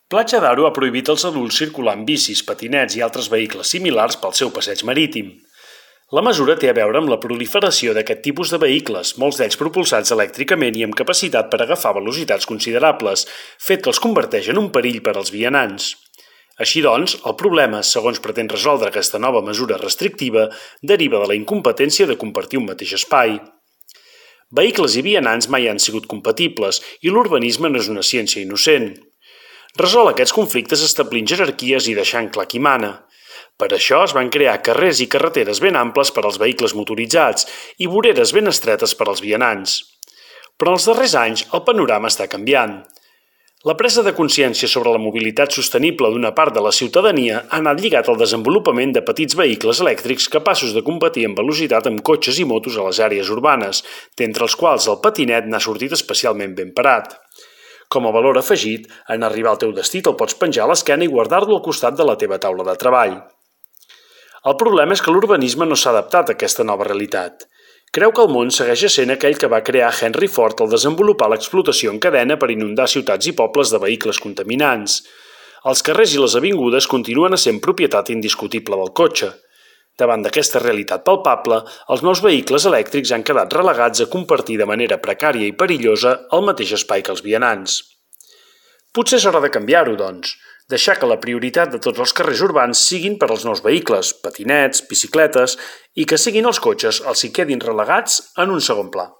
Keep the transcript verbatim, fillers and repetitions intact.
Platja d'Aro ha prohibit als adults circular amb bicis, patinets i altres vehicles similars pel seu passeig marítim. La mesura té a veure amb la proliferació d'aquest tipus de vehicles, molts d'ells propulsats elèctricament i amb capacitat per agafar velocitats considerables, fet que els converteix en un perill per als vianants. Així doncs, el problema, segons pretén resoldre aquesta nova mesura restrictiva, deriva de la incompetència de compartir un mateix espai. Vehicles i vianants mai han sigut compatibles i l'urbanisme no és una ciència innocent. Resol aquests conflictes establint jerarquies i deixant clar qui mana. Per això es van crear carrers i carreteres ben amples per als vehicles motoritzats i voreres ben estretes per als vianants. Però en els darrers anys el panorama està canviant. La presa de consciència sobre la mobilitat sostenible d'una part de la ciutadania ha anat lligat al desenvolupament de petits vehicles elèctrics capaços de competir en velocitat amb cotxes i motos a les àrees urbanes, d'entre els quals el patinet n'ha sortit especialment ben parat. Com a valor afegit, en arribar al teu destí te'l pots penjar a l'esquena i guardar-lo al costat de la teva taula de treball. El problema és que l'urbanisme no s'ha adaptat a aquesta nova realitat. Creu que el món segueix essent aquell que va crear Henry Ford al desenvolupar l'explotació en cadena per inundar ciutats i pobles de vehicles contaminants. Els carrers i les avingudes continuen essent propietat indiscutible del cotxe. Davant d'aquesta realitat palpable, els nous vehicles elèctrics han quedat relegats a compartir de manera precària i perillosa el mateix espai que els vianants. Potser és hora de canviar-ho, doncs, deixar que la prioritat de tots els carrers urbans siguin per als nous vehicles, patinets, bicicletes, i que siguin els cotxes els que quedin relegats en un segon pla.